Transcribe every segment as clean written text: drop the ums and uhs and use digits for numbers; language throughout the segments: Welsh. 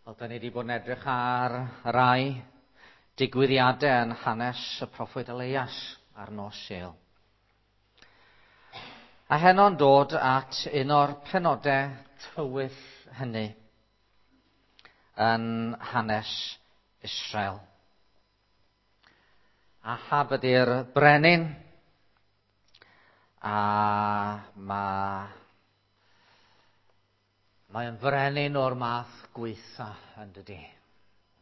Wel, da ni wedi bod yn edrych ar rai digwyddiadau yn hanes y proffwyd Elias ar nos Sul. A heno'n dod at un o'r penodau tywyll hynny yn hanes Israel. Ahab ydy'r brenin, a mae Mae'n frenin o'r math gweitha, yn dydi.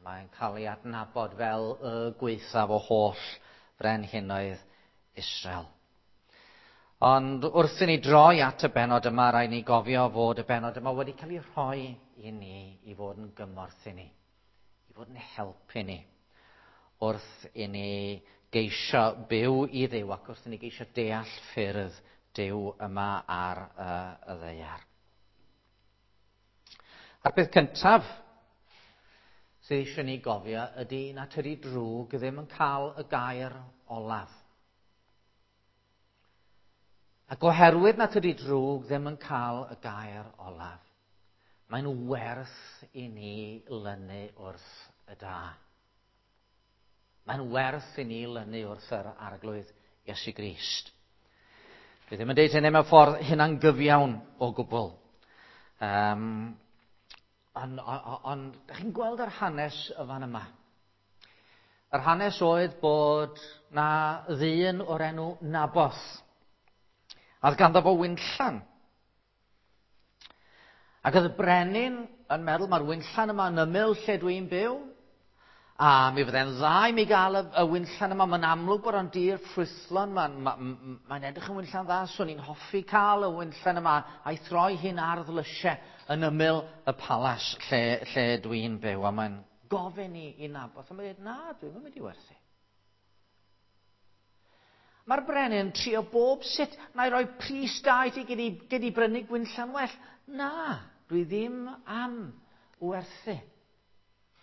Mae'n cael ei adnabod fel y gweithaf o holl frenhinoedd Israel. Ond wrth i ni droi at y bennod yma, rhaid ni gofio fod y bennod yma wedi cael ei rhoi i ni i fod yn gymorth i ni, i fod yn help i ni, wrth i ni geisio byw i Dduw ac wrth i ni geisio deall ffyrdd Duw yma ar y ddaear. A'r peth cyntaf sydd eisiau ni gofio ydy na tydi drwg ddim yn cael y gair olaf. Ac oherwydd na tydi drwg ddim yn cael y gair olaf, mae'n werth i ni lynu wrth y da. Mae'n werth i ni lynu wrth yr Arglwydd Iesu Grist. Dwi ddim yn deud hynny mewn ffordd hunangyfiawn o gwbl. Um, ond, on, on, da chi'n gweld yr hanes y fan yma. Yr hanes oedd bod na ddyn o'r enw Naboth. A oedd ganddo fo winllan. Ac oedd y brenin yn meddwl, mae'r winllan yma yn ymyl lle dwi'n byw, a mi fydde'n dda i mi gael y, y winllan yma. Mae'n amlwg bod o'n dir ffrwythlon, mae'n ma, ma, ma edrych yn winllan dda, swn i'n hoffi cael y winllan yma a'i throi hi'n ardd lysiau yn ymyl y palas lle, lle dwi'n byw. A mae'n gofyn i, i Naboth, a mae'n dweud, na, dwi'n mynd i werthu. Mae'r brenin yn trio bob sut. Na i roi pris da i ti, gyd i, gyd i brynu gwinllan well. Na, dwi ddim am werthu.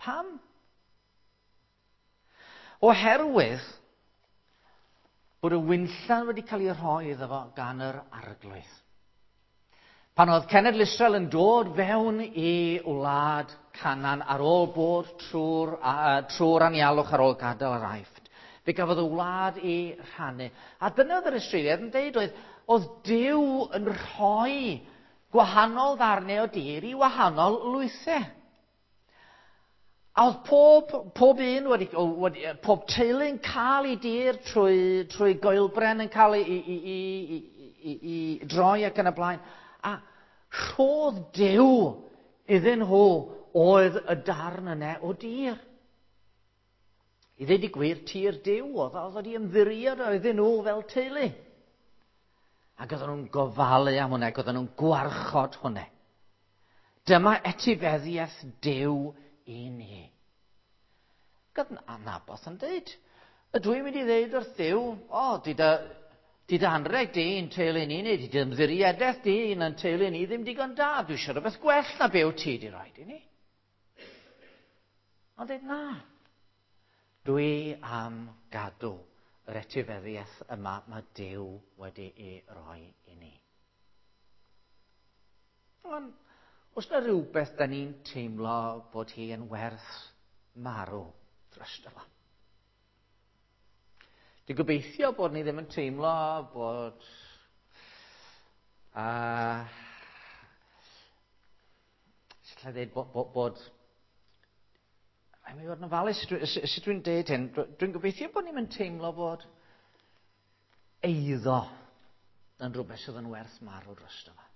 Pam? Oherwydd bod y winllan wedi cael ei rhoi iddo fo gan yr arglwydd. Pan oedd cenedl Israel yn dod fewn i wlad Canaan ar ôl bod trwy'r trwy anialwch ar ôl gadael yr Aifft, fe gafodd y wlad ei rhannu. A dyna oedd yr Israeliaid yn deud oedd, oedd Duw yn rhoi gwahanol ddarnau o dir i wahanol lwythau. A oedd pob, pob un wedi, wedi, pob teulu'n cael ei dir trwy, trwy goelbren yn cael ei, i, i, i, i, i droi ac yn y blaen. A rhodd Duw iddyn nhw oedd y darn yna o dir. I ddweud y gwir, tir Duw oedd, oedd wedi ymddiried iddyn nhw fel teulu. Ac oedden nhw'n gofalu am hwnna, ac oedden nhw'n gwarchod hwnna. Dyma etifeddiaeth Duw i ni. Gyda Naboth yn dweud, ydw i'n mynd i ddeud wrth Dduw, o, di dy, di dy anreg di i'n teulu ni, neu di dy ymddiriedaeth di i'n yn teulu ni ddim digon da, dwi eisiau rhywbeth gwell na be wyt ti di roed i ni. Ond dweud, na, dwi am gadw yr etifeddiaeth yma mae Duw wedi ei roi i ni. Ond, oes na rhywbeth da ni'n teimlo bod hi yn werth marw drosto fo? Dwi'n gobeithio bod ni ddim yn teimlo bod sut alla i ddeud bod, bod, bod Rhaid mi fod yn ofalus sut dwi'n deud hyn. Dwi'n gobeithio bod ni'n teimlo bod eiddo yn rhywbeth sydd yn werth marw drosto fo.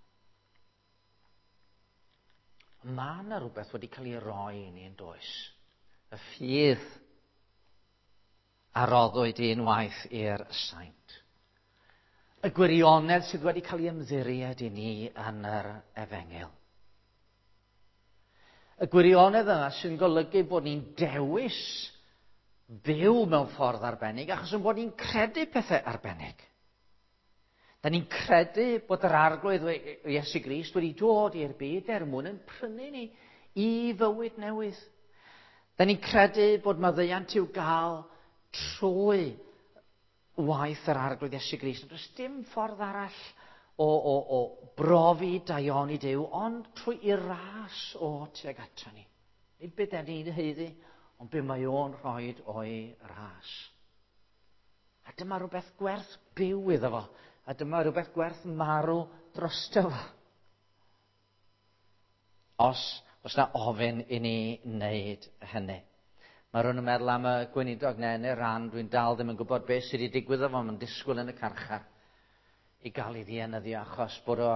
Mae yna rhywbeth wedi cael ei roi i ni yn does. Y ffydd a roddwyd unwaith i'r saint. Y gwirionedd sydd wedi cael ei ymddiried i ni yn yr efengyl. Y gwirionedd yna sy'n golygu bod ni'n dewis byw mewn ffordd arbennig achos yn bod ni'n credu pethau arbennig. Da ni'n credu bod yr Arglwydd Iesu Grist wedi dod i'r byd er mwyn yn prynu ni i fywyd newydd. Da ni'n credu bod maddeuant i'w gael trwy waith yr Arglwydd Iesu Grist. Does dim ffordd arall o, o, o brofi daioni Duw, ond trwy i ras o tuag ato ni. Nid be da ni'n haeddu, ond be mae o'n rhoi o'i ras. A dyma rhywbeth gwerth byw iddo fo. A dyma rhywbeth gwerth marw drosto fo. Os oes na ofyn i ni wneud hynny. Mae rhywun yn meddwl am y gweinidog neu yn Iran, dwi'n dal ddim yn gwybod beth sydd wedi digwydd efo, mae'n disgwyl yn y carchar i gael ei ddienyddio achos bod o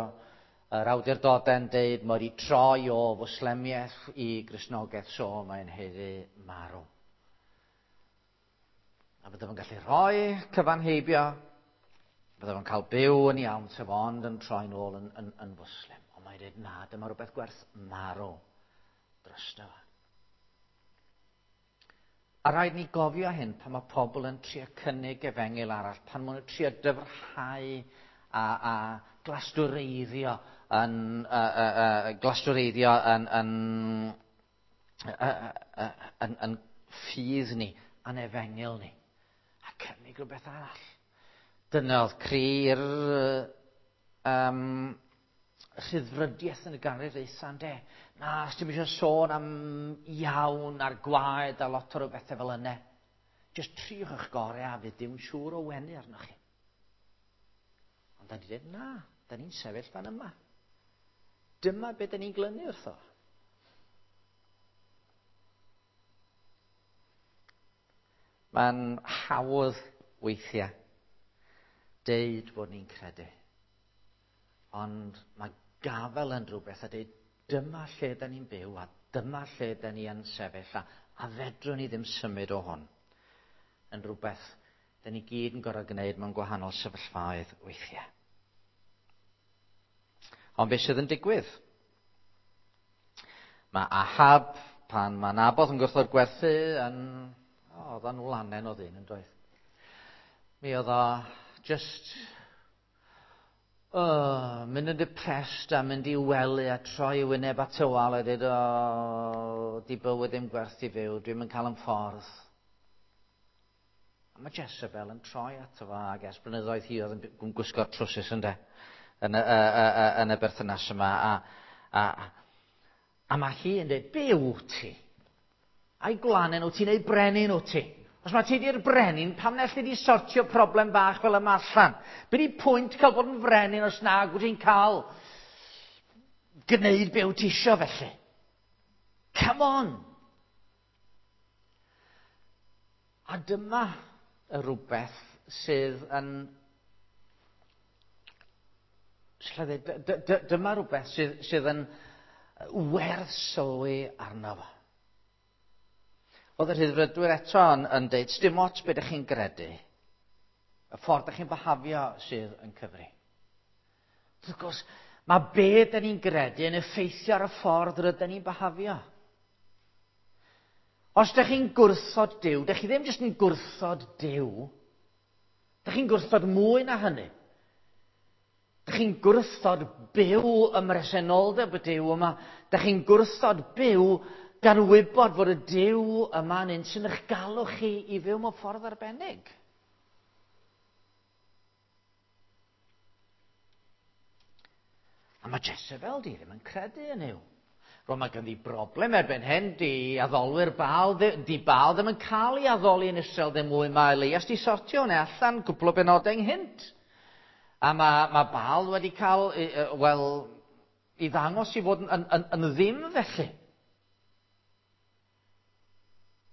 yr awdurdodau'n deud mae wedi troi o fwslemiaeth i Gristnogaeth, so mae'n haeddu marw. A bydde fo'n gallu rhoi cyfan heibio, bydde fo'n cael byw yn iawn, sef ond yn troi'n ôl yn, yn, yn fwslim. Ond mae'n dweud, na, dyma rhywbeth gwerth marw drosto fo. A rhaid ni gofio hyn pan mae pobl yn trio cynnig efengyl arall, pan maen nhw'n trio dyfrhau a, a glastwreiddio yn, glastwreiddio yn, yn, yn, yn, yn ffydd ni, a'n efengyl ni, a cynnig rhywbeth arall. Dyna oedd cri'r um, rhyddfrydiaeth yn y ganrif ddwytha, ynde? Na, os ti'n eisiau sôn am iawn a'r gwaed a lot o rhywbethau fel yna. Just triwch eich gorau a fydd Duw'n siŵr o wenu arnoch chi. Ond da ni dweud, na, da ni'n sefyll fan yma. Dyma beth da ni'n glynu wrtho. Mae'n hawdd weithiau deud bod ni'n credu. Ond mae gafael yn rhywbeth a dweud dyma lle da ni'n byw a dyma lle da ni yn sefyll a, a fedrwn ni ddim symud o hwn. Yn rhywbeth da ni gyd yn gorfod gwneud mewn gwahanol sefyllfaoedd weithiau. Ond beth sydd yn digwydd? Mae Ahab, pan mae Naboth yn gwrthod gwerthu, yn... O, oedd o'n wlanen o ddyn yn doedd. Mi oedd o just oh, mynd yn depressed a mynd i wely a troi i wyneb at y wal a dweud, o, di bywyd ddim gwerth i fyw, dwi'n mynd cael yn ffordd. A mae Jezebel yn troi ato fo, ac ers blynyddoedd hi oedd yn gwisgo'r trwsus ynde, yn y, y, y, yn y berthynas yma. A, a, a mae hi yn dweud, be wyt ti? A'i gwlanen wyt ti neu brenin wyt ti? Os mae ti di'r brenin, pam na allu di sortio problem bach fel yma allan? Be di pwynt cael bod yn frenin os nag wyt ti'n cael gwneud be wyt ti isio felly? Come on! A dyma y rhywbeth sydd yn... Dyma rhywbeth sydd, sydd yn werth sylwi arno fo. Oedd y rhyddfrydwyr eto yn, yn deud, dim ots beth ydych chi'n gredu, y ffordd ydych chi'n byhafio sydd yn cyfri. Wrth gwrs, mae be dyn ni'n gredu yn effeithio ar y ffordd rydyn ni'n byhafio. Os ydych chi'n gwrthod Duw, ydych chi ddim jyst yn gwrthod Duw, ydych chi'n gwrthod mwy na hynny. Ydych chi'n gwrthod byw ym mhresenoldeb y Duw yma. Ydych chi'n gwrthod byw gan wybod fod y Duw yma yn un sy'n eich galw chi i fyw mewn ffordd arbennig. A mae Jezebel di ddim yn credu yn yw. Rwan mae ganddi broblem erbyn hyn, di addolwyr Baal, di Baal ddim yn cael ei addoli yn Israel ddim mwy. Mae Elias di sortio hwnna allan gwpl o benodau ynghynt. A mae, mae Baal wedi cael, wel, i ddangos i fod yn, yn, yn, yn ddim felly.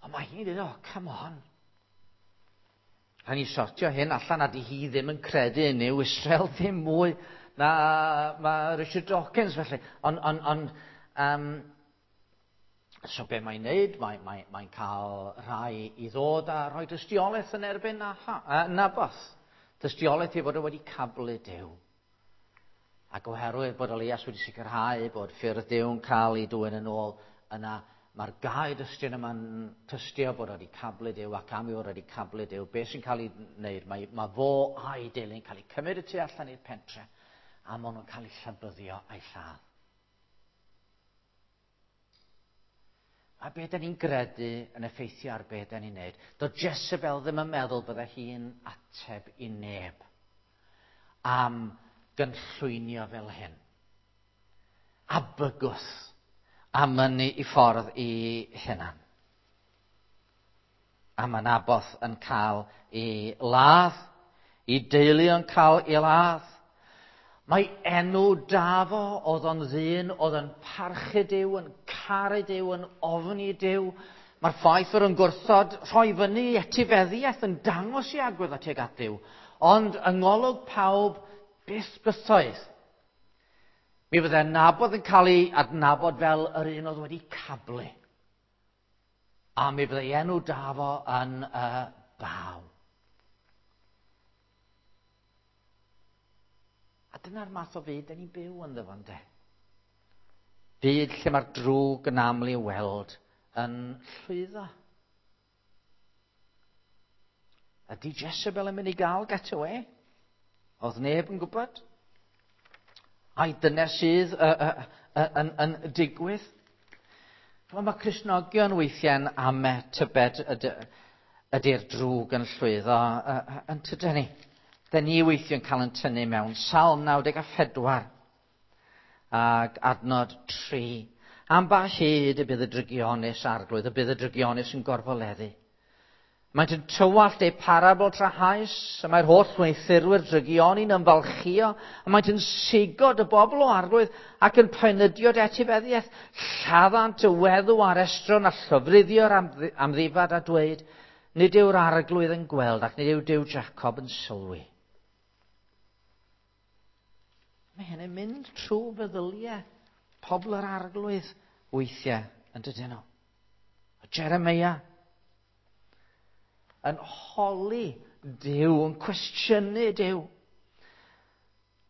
Ond mae hi'n dweud, oh, come on. Rhaid ni sortio hyn allan a di hi ddim yn credu yn Nuw Israel ddim mwy na mae Richard Dawkins felly. Ond, on, on, um, so be mae'n neud? Mae'n mae, mae cael rhai i ddod a rhoi dystiolaeth yn erbyn Naboth. Dystiolaeth ei fod o wedi cablu Duw. Ac oherwydd bod Elias wedi sicrhau bod ffyrdd Duw'n cael ei dwyn yn ôl, yna mae'r gau dystion yma'n tystio bod wedi cablu Duw ac am ei fod wedi cablu Duw. Be sy'n cael ei wneud? Mae, mae fo a'i deulu'n cael ei cymryd y tu allan i'r pentre a maen nhw'n cael eu llabyddio a'i lladd. A be da ni'n gredu yn effeithio ar be da ni'n neud. Do Jezebel ddim yn meddwl bydde hi'n ateb i neb am gynllwynio fel hyn. A bygwth. A mynnu i ffordd i hunan. A mae Naboth yn cael ei ladd, i deulu yn cael ei ladd. Mae enw da fo, oedd o'n ddyn, oedd yn parchu Duw, yn caru Duw, yn ofni Duw. Mae'r ffaith fod yn gwrthod rhoi fyny etifeddiaeth yn dangos i agwedd tuag at Dduw. Ond yng ngolwg pawb, byth bythoedd. Mi fydde Naboth yn cael ei adnabod fel yr un oedd wedi cablu. A mi fydde enw da fo yn y baw. A dyna'r math o fyd da ni'n byw ynddo fo, ynde? Byd lle mae'r drwg yn aml i'w weld yn llwyddo. Ydy Jezebel yn mynd i gael get away? Oedd neb yn gwybod? Ai dyna sydd yn digwydd? Mae Cristnogion weithiau'n ame tybed ydy'r drwg yn llwyddo yn tydyn ni. Da ni weithiau'n cael yn tynnu mewn. Salm 94 ac adnod 3. Am ba hyd y bydd y drygionus arglwydd, y bydd y drygionus yn gorfoleddu. Maent yn tywallt eu parabl trahaus, a mae'r holl wneuthurwyr drygioni'n ymfalchio, a maent yn sigod y bobl o arglwydd ac yn poenydio dy etifeddiaeth. Lladdant y weddw a'r estron a llofruddio'r amddifad a dweud, nid yw'r arglwydd yn gweld ac nid yw Duw Jacob yn sylwi. Mae hyn yn mynd trwy feddyliau pobl yr arglwydd weithiau yn dydyn nhw. A Jeremiah yn holi Duw, yn cwestiynu Duw.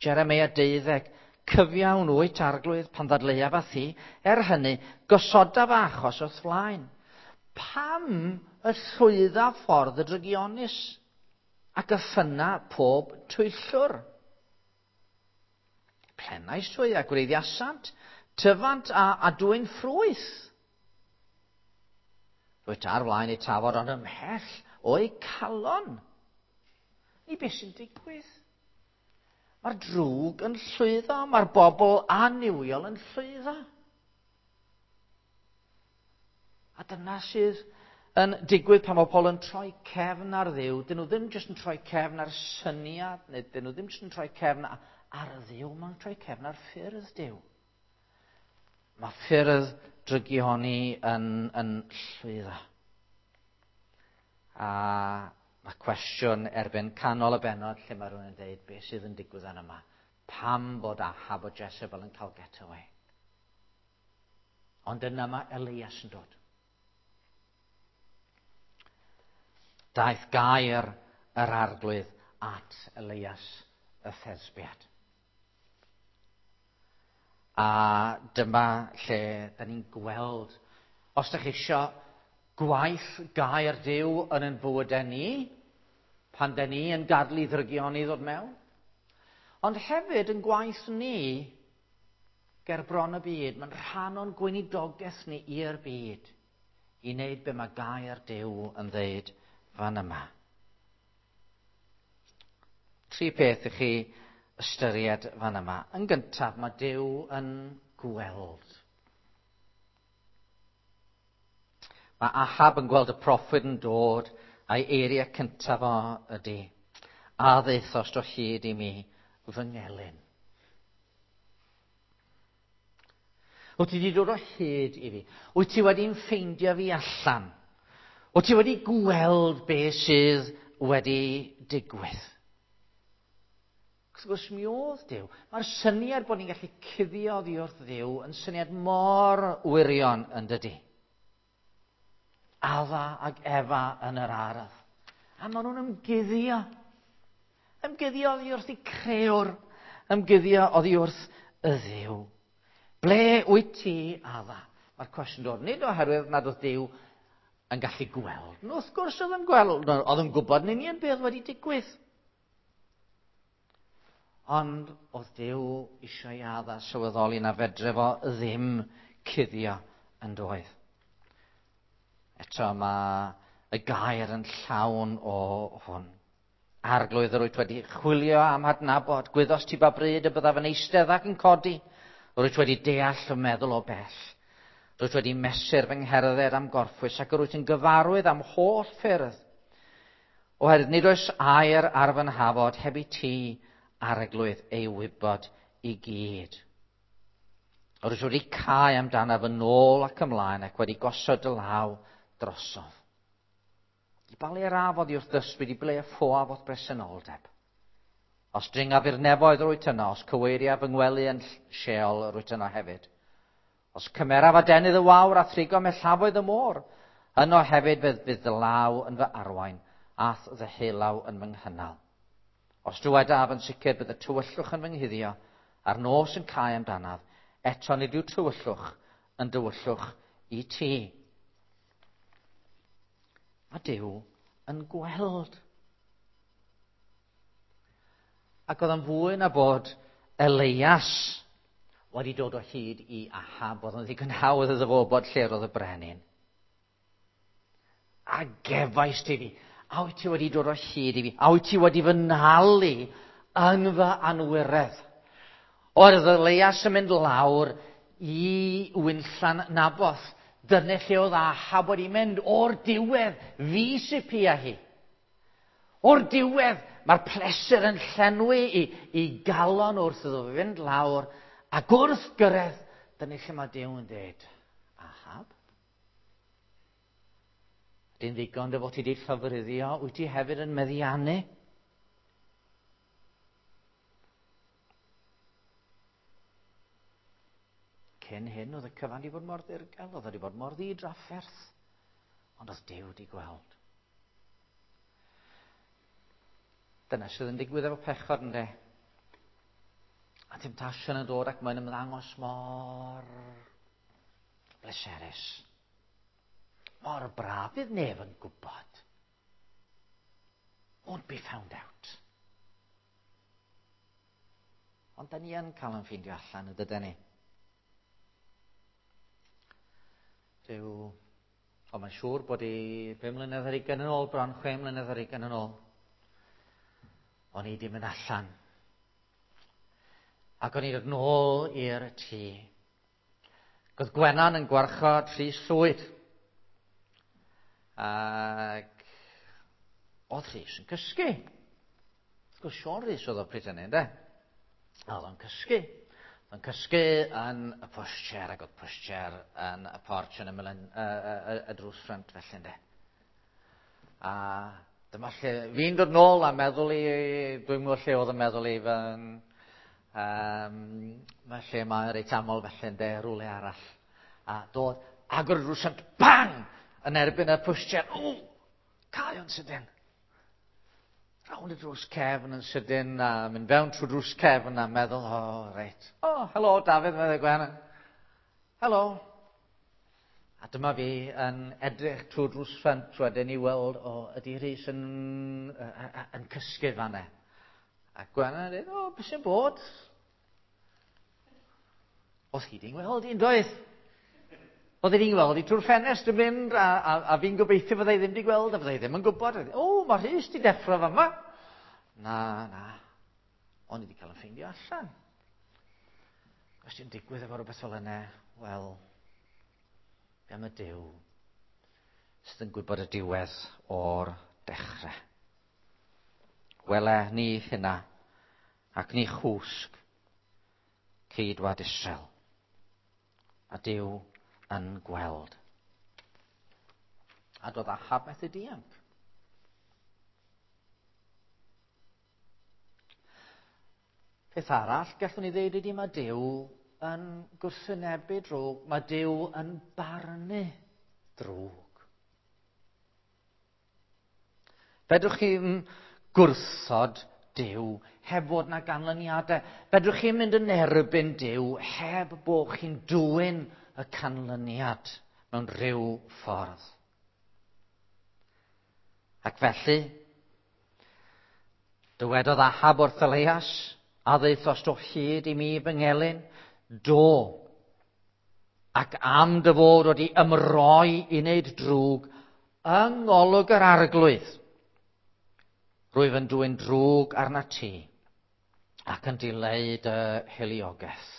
Jeremiah 12, cyfiawn wyt arglwydd pan ddadleuaf â thi, er hynny, gosodaf achos wrth flaen. Pam y llwydda ffordd y drygionus ac y ffynna pob twyllwr? Plenais hwy a gwreiddiasant, tyfant a dwyn ffrwyth. Rwyt ar flaen eu tafod ond ymhell o'i calon. Ni beth sy'n digwydd? Mae'r drwg yn llwyddo, mae'r bobl annuwiol yn llwyddo. A dyna sydd yn digwydd pan mae pobl yn troi cefn ar Dduw. Dyn nhw ddim jyst yn troi cefn ar syniad, neu dyn nhw ddim jyst yn troi cefn ar Dduw, maen nhw'n troi cefn ar ffyrdd Duw. Mae ffyrdd drygioni yn llwyddo. A mae cwestiwn erbyn canol y bennod lle mae rhywun yn dweud beth sydd yn digwydd yn yma. Pam bod Ahab o Jezebel yn cael getaway? Ond yna mae Elias yn dod. Daeth gair yr arglwydd at Elias y Thesbiad. A dyma lle da ni'n gweld, os ydych chi isio gwaith gair Duw yn ein bywydau ni, pan da ni yn gadw i ddrygioni ddod mewn, ond hefyd yn gwaith ni ger bron y byd, mae'n rhan o'n gweinidogaeth ni i'r byd, i wneud be mae gair Duw yn ddeud fan yma. Tri peth i chi ystyried fan yma. Yn gyntaf, mae Duw yn gweld. Mae Ahab yn gweld y proffwyd yn dod, a'i eiriau cyntaf o ydy, a ddaethost o hyd i mi fy ngelyn. Wyt ti wedi dod o hyd i fi? Wyt ti wedi'n ffeindio fi allan? Wyt ti wedi gweld beth sydd wedi digwydd? Wrth gwrs mi oedd Duw. Mae'r syniad bod ni'n gallu cuddio oddi wrth Dduw yn syniad mor wirion yn dydy. Adda ag Efa yn yr ardd. A maen nhw'n ymguddio. Ymguddio oddi wrth y crëwr. Ymguddio oddi wrth y Dduw. Ble wyt ti, Adda? Mae'r cwestiwn dod nid oherwydd nad oedd Duw yn gallu gweld. No, wrth gwrs oedd yn gweld. Oedd yn gwybod yn union beth wedi digwydd. Ond oedd Duw eisiau i Adda sylweddoli na fedre fo ddim cuddio yn doedd. Eto mae y gair yn llawn o hwn. Arglwydd yr wyt wedi chwilio am adnabod, gwyddost ti ba bryd y byddaf yn eistedd ac yn codi, yr wyt wedi deall y meddwl o bell. Rwyt wedi mesur fy ngherdded am gorffwys ac rwyt yn gyfarwydd am holl ffyrdd. Oherwydd nid oes air ar fy nhafod heb i ti, Arglwydd, ei wybod i gyd. Rwyt wedi cau amdanaf yn ôl ac ymlaen ac wedi gosod dy law drosof. I ba le yr af oddi wrth ddysgwyd, i ble y ffoaf o'th bresenoldeb? Os dringaf i'r nefoedd rwyt yno, os cyweiriaf fy ngwely yn Sheol rwyt yno hefyd. Os cymeraf adenydd y wawr a thrigo mellafoedd y môr, yno hefyd fydd, fydd dy law yn fy arwain, a'th ddeheulaw yn fy nghynnal. Os dywedaf yn sicr bydd y tywyllwch yn fy nghuddio, a'r nos yn cau amdanaf, eto nid yw tywyllwch yn dywyllwch i ti. Mae Duw yn gweld. Ac oedd yn fwy na bod Elias wedi dod o hyd i Ahab, oedd yn ddigon hawdd iddo fo wybod lle roedd y brenin. A gefais ti fi, a wyt ti wedi dod o hyd i fi, a wyt ti wedi fy nhalu yn fy anwiredd. Oedd Elias yn mynd lawr i winllan Naboth. Dyna lle oedd Ahab wedi mynd o'r diwedd, fi sy pia hi. O'r diwedd, mae'r pleser yn llenwi i, i galon wrth iddo fynd lawr, ac wrth gyrraedd, dyna lle mae Duw yn dweud, Ahab, ydy'n ddigon dy fod ti wedi llofruddio, wyt ti hefyd yn meddiannu? Cyn hyn, oedd y cyfan wedi bod mor ddirgel, oedd wedi bod mor ddidrafferth, ond oedd Duw wedi gweld. Dyna sydd yn digwydd efo pechod, ynddo? A temtasiwn yn dod ac mae'n ymddangos mor bleserus. Mor braf, fydd neb yn gwybod. Won't be found out. Ond da ni yn cael yn ffeindio allan, y dydyn ni. Rhyw... O, mae'n siŵr bod i 5 mlynedd ar hugain yn ôl, bron 6 mlynedd ar hugain yn ôl. O'n i di mynd allan. Ac o'n i dod nôl i'r tŷ. Ac oedd Gwenan yn gwarchod Rhys Llwyd. Ac oedd Rhys yn cysgu. Wrth gwrs, Siôn Rhys oedd o pryd hynny, ynde? A oedd o'n cysgu. Oedd o'n cysgu yn y pushchair, ac oedd pushchair yn y porch yn ymyl y, y, y, y drws ffrynt felly, ynde? A dyma lle, fi'n dod nôl a meddwl i, dwi'n gwybod lle oedd yn meddwl i fy, mae lle mae reit aml felly ynde, rhywle arall. A dod, agor y drws ffrynt, bang! Yn erbyn y pushchair, o! Cau o'n sydyn. Rownd y drws cefn yn sydyn, a mynd fewn trwy drws cefn a meddwl, o, oh, reit. O, oh, helo, Dafydd, meddai Gwen. Helo. A dyma fi yn edrych trwy drws ffrynt wedyn i weld, o, oh, ydy Rhys yn, yn cysgu fanne. A Gwen yn dweud, o, oh, beth sy'n bod? Oedd hi di'n gweld i'n doedd? Oedd hi di'n gweld i trwy'r ffenest yn mynd, a, a, a fi'n gobeithio fyddai ddim di gweld, a fyddai ddim yn gwybod. O, oh, mae Rhys di deffro fama. Na, na. O'n i wedi cael yn ffeindio allan. Os ti'n digwydd efo rhywbeth fel yna, wel, be am y Duw sydd yn gwybod y diwedd o'r dechrau? Wele ni hynna, ac ni chwsg ceidwad Israel. A Duw yn gweld. A doedd Ahab methu dianc. Peth arall gallwn ni ddeud ydy mae Duw yn gwrthwynebu drwg, mae Duw yn barnu drwg. Fedrwch chi'n gwrthod Duw heb fod na ganlyniadau. Fedrwch chi'n mynd yn erbyn Duw heb bod chi'n dwyn y canlyniad mewn rhyw ffordd. Ac felly, dywedodd Ahab wrth Elias, a ddaethost o hyd i mi fy ngelyn? Do. Ac am dy fod wedi ymroi i wneud drwg yng ngolwg yr Arglwydd, rwyf yn dwyn drwg arnat ti ac yn dileu dy hiliogaeth.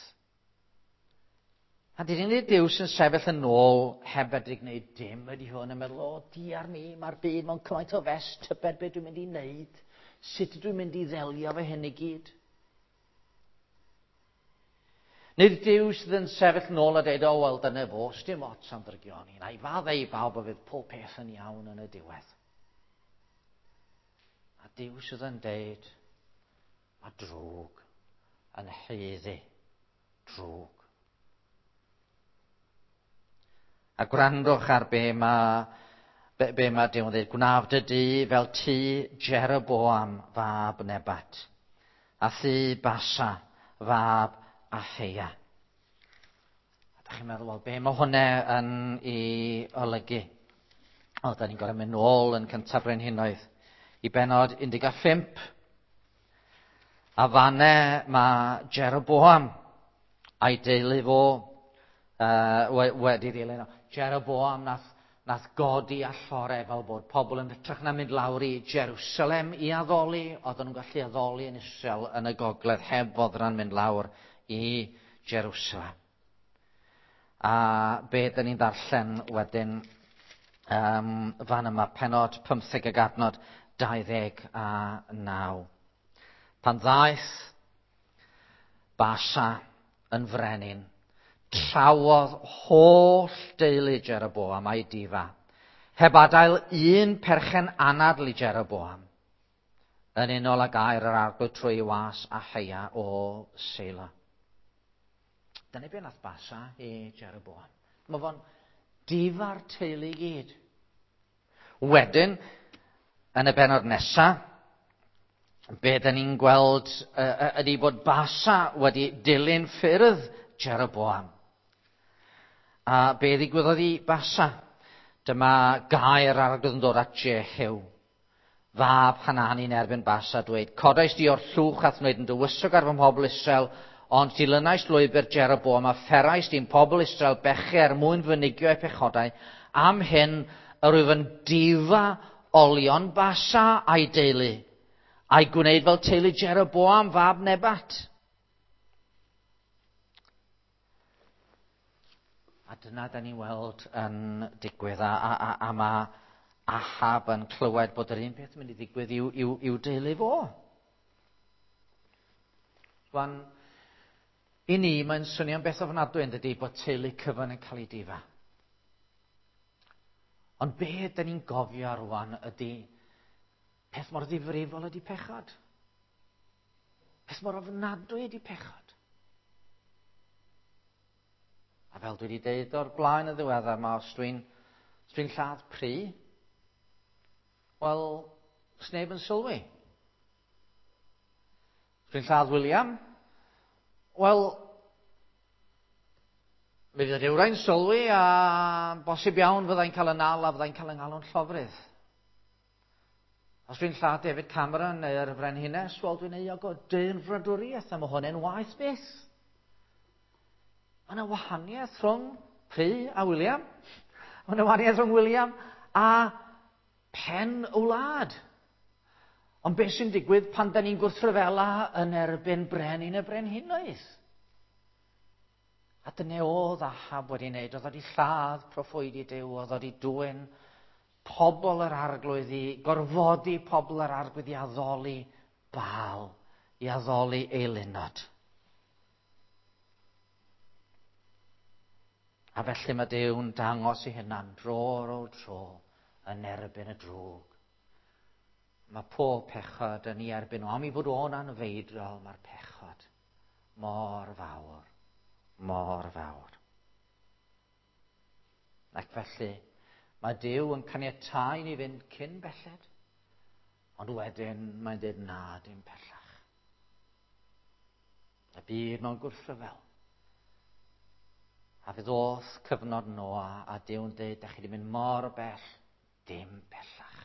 A dyn ni'n Duw sy'n sefyll yn ôl heb fedru gwneud dim ydy hwn yn meddwl, o, diar mi, mae'r byd mewn cymaint o fes, tybed beth dwi'n mynd i wneud, sut dwi'n mynd i ddelio fe hyn i gyd. Nid Duw sydd yn sefyll nôl a dweud, o, wel, dyna fo, dim ots am ddrygioni, na i faddau i bawb a fydd pob peth yn iawn yn y diwedd. A Duw sydd yn deud, mae drwg yn haeddu drwg. A gwrandwch ar be mae, be, be mae Duw yn dweud. Gwnaf dy dŷ fel tŷ Jeroboam fab Nebat, a thŷ Basa fab Aheia. A da chi'n meddwl, wel, be mae hwnna yn ei olygu? O, da ni'n gorfod mynd nôl yn cyntaf brenhinoedd i benod 15. A fanne mae Jeroboam a'i deulu fo wedi ddilyn o. Jeroboam nath, nath godi allore fel bod pobl yn hytrach na mynd lawr i Jerusalem i addoli, oedden nhw'n gallu addoli yn Israel yn y gogledd heb foddran mynd lawr i Jerusalem. A be dyn ni'n ddarllen wedyn fan yma, penod 15 ag adnod 29. Pan ddaeth Basa yn frenin, trawodd holl deulu Jeroboam a'i difa, heb adael un perchen anadl i Jeroboam, yn unol ag air yr arglwydd trwy ei was Aheia o Seilo. Dyna be nath Basa i Jeroboam. Mae fo'n difa'r teulu i gyd. Wedyn, yn y bennod nesaf, be da ni'n gweld ydy bod Basa wedi dilyn ffyrdd Jeroboam. A be ddigwyddodd i Basa? Dyma gair arglwydd yn dod at Jehu, fab Hanani yn erbyn Basa, dweud, codais di o'r llwch a'th wneud yn dywysog ar fy mhobl Israel, ond dilynais lwybr Jeroboam a pherais di'n pobl Israel bechu er mwyn fynigio eu pechodau. Am hyn, yr wyf yn difa olion Basa a'i deulu, a'i gwneud fel teulu Jeroboam fab Nebat. A dyna da ni'n weld yn digwydd, a mae Ahab yn clywed bod yr un peth yn mynd i ddigwydd i'w deulu fo. Rwan, i ni, mae'n swnio'n beth ofnadwy yn dydi bod teulu cyfan yn cael ei difa. Ond be da ni'n gofio rwan ydy peth mor ddifrifol ydy pechod. Peth mor ofnadwy ydy pechod. A fel dwi wedi deud o'r blaen yn ddiweddar, mae os dwi'n lladd pry, wel, sneb yn sylwi. Os dwi'n lladd William, wel, mi fydd rhywrai'n sylwi a bosib iawn fyddai'n cael y nal a fyddai'n cael yng ngalw'n llofrudd. Os dwi'n lladd David Cameron neu'r Frenhines, wel, dwi'n euog o dynfradwriaeth a mae hwn yn waeth byth. Mae yna wahaniaeth rhwng Pry a William. Mae yna wahaniaeth rhwng William a pen y wlad. Ond beth sy'n digwydd pan da ni'n gwrthryfela yn erbyn brenin y brenhinoedd? A dyna oedd Ahab wedi wneud. Oedd wedi lladd proffwydi Duw, oedd wedi dwyn pobl yr arglwydd i gorfodi pobl yr arglwydd i addoli Baal, i addoli eilunod. A felly mae Duw'n dangos ei hunan dro ar ôl tro yn erbyn y drwg. Mae pob pechod yn ei erbyn o. Am ei fod o'n anfeidrol, mae'r pechod mor fawr, mor fawr. Ac felly, mae Duw yn caniatáu ni fynd cyn belled, ond wedyn mae'n dweud na, dim pellach. Y byd mewn gwrthryfel. A fe ddoth cyfnod Noa a Duw'n dweud, da chi wedi mynd mor bell, dim pellach.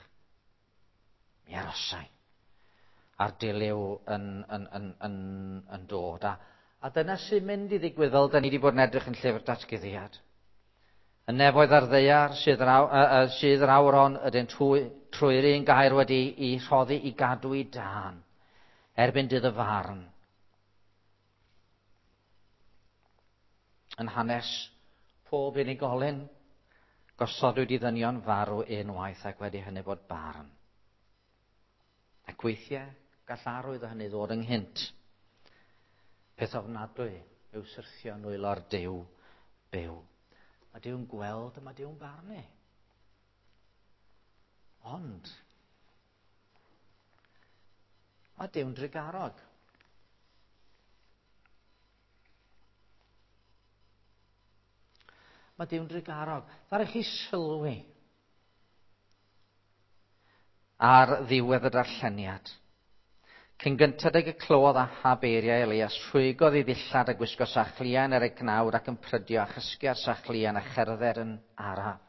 Mi arosai. A'r dilyw yn dod. A dyna sy'n mynd i ddigwydd fel da ni wedi bod yn edrych yn llyfr datguddiad. Y nefoedd a'r ddaear sydd yr awr hon ydynt trwy'r un gair wedi i rhoddi i gadw i dân erbyn dydd y farn. Yn hanes pob unigolyn, gosodwyd i ddynion farw unwaith ac wedi hynny fod barn. Ac weithiau gall arwydd o hynny ddod ynghynt. Peth ofnadwy yw syrthio nwylo'r Duw byw. Mae Duw'n gweld a mae Duw'n barnu. Ond, mae Duw'n drugarog. Mae Duw'n drugarog. Ddaru chi sylwi ar ddiwedd y darlleniad. Cyn gynted ag y clywodd Ahab eiriau Elias, rhwygodd ei ddillad a gwisgo sachliain ar ei gnawd ac yn prydio a chysgu ar sachliain a cherdded yn araf.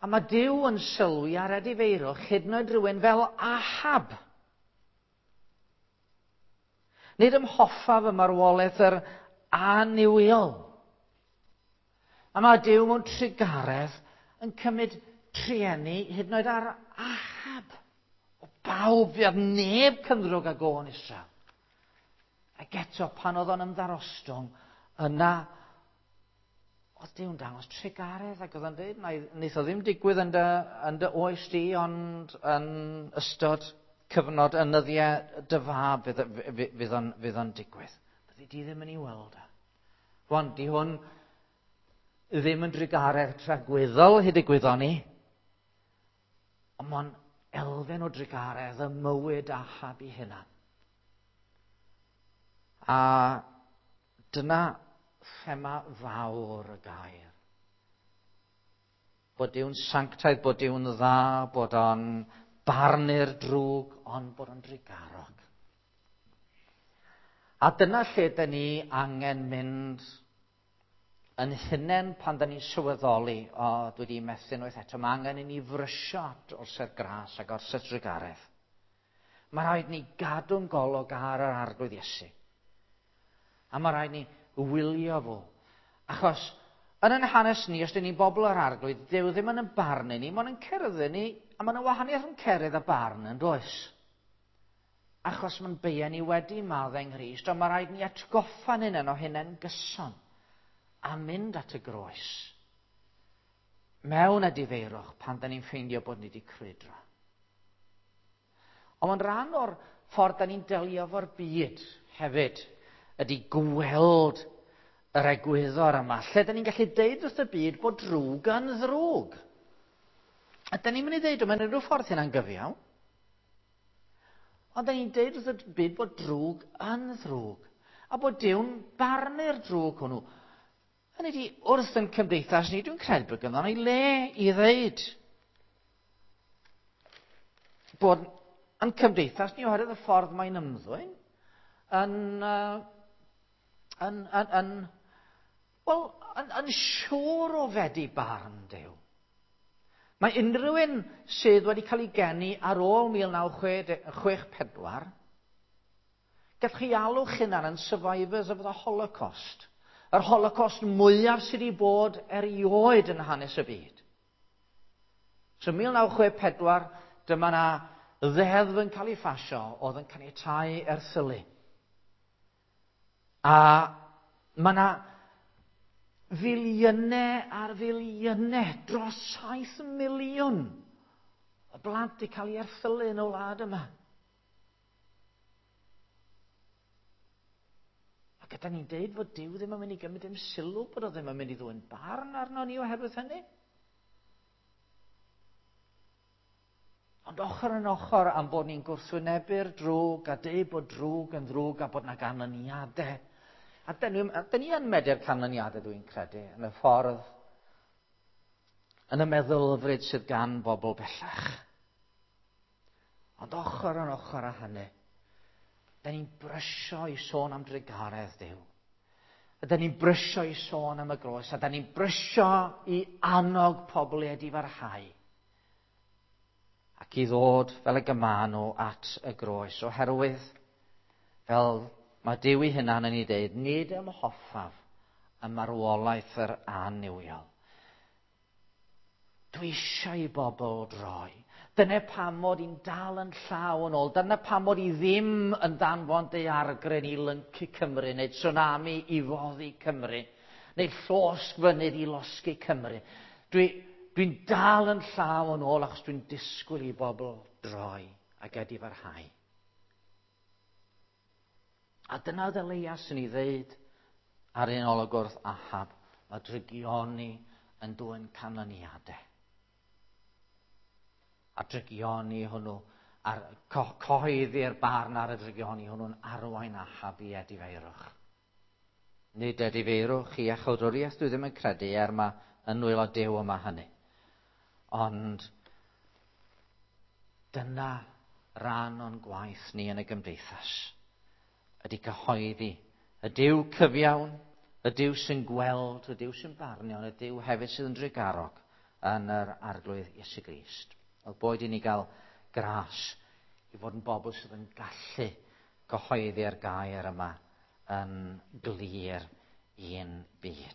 A mae Duw yn sylwi ar edifeirwch hyd yn oed rhywun fel Ahab. Nid ymhoffaf y marwolaeth yr annuwiol. A mae Duw mewn trugaredd yn cymryd trueni hyd yn oed ar Ahab. O bawb, fuodd neb cynddrwg ag o yn Israel. Ac eto, pan oedd o'n ymddarostwng, yna oedd Duw'n dangos trugaredd ac oedd o'n dweud, wneith o ddim digwydd yn dy, yn dy oes di, ond yn ystod cyfnod yn nyddiau dy fab fydd, fydd, o'n, fydd o'n digwydd. Byddi di ddim yn ei weld e. Rwan, di hwn ddim yn drugaredd tragwyddol hyd y gwyddon ni, ond mae'n elfen o drugaredd y mywyd Ahab i hunan. A dyna thema fawr y gair. Bod Duw'n sanctaidd, bod Duw'n dda, bod o'n barnu'r drwg, ond bod o'n drugarog. A dyna lle dyn ni angen mynd yn hunain pan dyn ni'n sylweddoli, o, dwi wedi methu unwaith eto, mae angen i ni frysio at orsedd gras ac orsedd drugaredd. Mae rhaid ni gadw'n golwg ar yr Arglwydd Iesu. A mae rhaid ni wylio fo. Achos, yn ein hanes ni, os dyn ni'n bobl yr Arglwydd, Duw ddim yn yn barnu ni, mae'n yn cerdded ni, a mae'n wahaniaeth yn cerydd a barn yn does. Achos mae'n beia ni wedi maddau yng Nghrist, ond mae rhaid ni atgoffa'n hunain o hynny'n gyson a mynd at y groes mewn edifeirwch pan da ni'n ffeindio bod ni wedi crwydro. Ond mae'n rhan o'r ffordd da ni'n delio efo'r byd hefyd ydy gweld yr egwyddor yma, lle da ni'n gallu deud wrth y byd bod drwg yn ddrwg. A da ni'n mynd i ddeud o mewn unrhyw ffordd hynna'n gyfiawn. Ond da ni'n deud wrth y byd bod drwg yn ddrwg. A bod Duw'n barnu'r drwg hwnnw. Hynny ydi, wrth yn cymdeithas ni, dwi'n credu bod gynddon ni le i ddeud bod yn cymdeithas ni oherwydd y ffordd mae'n ymddwyn yn, yn, yn, yn, wel, yn, yn siŵr o fedi barn Duw. Mae unrhyw un sydd wedi cael ei geni ar ôl 1964, gallwch chi alw'ch hunan yn survivors of the Holocaust. Yr Holocaust mwyaf sydd wedi bod erioed yn hanes y byd. So 1964, dyma na ddeddf yn cael ei phasio oedd yn caniatáu erthylu. A mae yna filiynau ar filiynau, dros 7 miliwn o blant wedi cael ei erthylu yn y wlad yma. Ac ydy ni'n deud fod Duw ddim yn mynd i gymryd dim sylw, bod o ddim yn mynd i ddwyn barn arno ni oherwydd hynny? Ond ochr yn ochr am bod ni'n gwrthwynebu'r drwg a deud bod drwg yn ddrwg a bod na ganlyniadau. A dyn ni, dyn ni yn medru'r canlyniadau, dwi'n credu, yn y ffordd, yn y meddylfryd sydd gan bobl bellach. Ond ochr yn ochr â hynny, dyn ni'n brysio i sôn am drugaredd Duw. A dyn ni'n brysio i sôn am y groes, a dyn ni'n brysio i annog pobl i edifarhau ac i ddod fel y gyma nhw at y groes, oherwydd, fel mae Duw ei hunan yn ei dweud, nid ymhoffaf y marwolaeth yr annuwiol. Dwi eisiau i bobl droi. Dyna pam mod i'n dal yn llaw yn ôl. Dyna pam mod i ddim yn danfon daeargryn i lyncu Cymru, neu tsunami i foddi Cymru, neu llosg fynydd i losgi Cymru. Dwi'n dal yn llaw yn ôl achos dwi'n disgwyl i bobl droi ac edifarhau. A dyna oedd Elias yn ei ddeud ar un olwg wrth Ahab, mae drygioni yn dwyn canlyniadau. A drygioni hwnnw, a'r cyhoeddi'r barn ar y drygioni hwnnw'n arwain Ahab i edifeirwch. Nid edifeirwch i iachawdwriaeth, dwi ddim yn credu, er mae yn nwylo Duw yma hynny. Ond dyna ran o'n gwaith ni yn y gymdeithas, ydy cyhoeddi y Duw cyfiawn, y Duw sy'n gweld, y Duw sy'n barnu, ond y Duw hefyd sydd yn drugarog yn yr Arglwydd Iesu Grist. Oedd boed i ni gael gras i fod yn bobl sydd yn gallu cyhoeddi'r gair yma yn glir i'n byd.